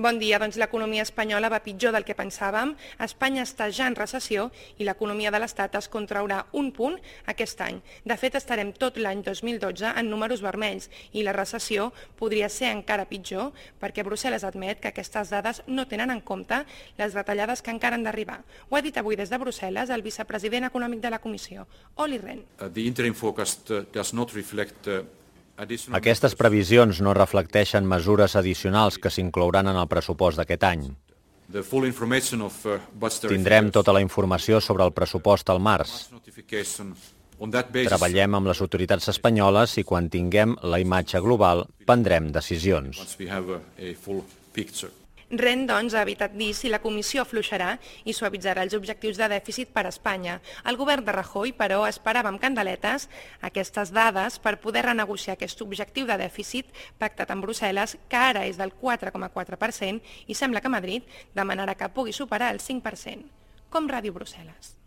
Bon dia, doncs l'economia espanyola va pitjor del que pensàvem. Espanya està ja en recessió i l'economia de l'Estat es contraurà un punt aquest any. De fet, estarem tot l'any 2012 en números vermells i la recessió podria ser encara pitjor perquè Brussel·les admet que aquestes dades no tenen en compte les retallades que encara han d'arribar. Ho ha dit avui des de Brussel·les el vicepresident econòmic de la Comissió, Olli Rehn. Aquestes previsions no reflecteixen mesures addicionals que s'inclouran en el pressupost d'aquest any. Tindrem tota la informació sobre el pressupost al març. Treballem amb les autoritats espanyoles i quan tinguem la imatge global prendrem decisions. Rehn, doncs, ha evitat dir si la Comissió afluixarà i suavitzarà els objectius de dèficit per a Espanya. El govern de Rajoy, però, esperava amb candeletes aquestes dades per poder renegociar aquest objectiu de dèficit pactat amb Brussel·les, que ara és del 4,4% i sembla que Madrid demanarà que pugui superar el 5%. Com Ràdio Brussel·les.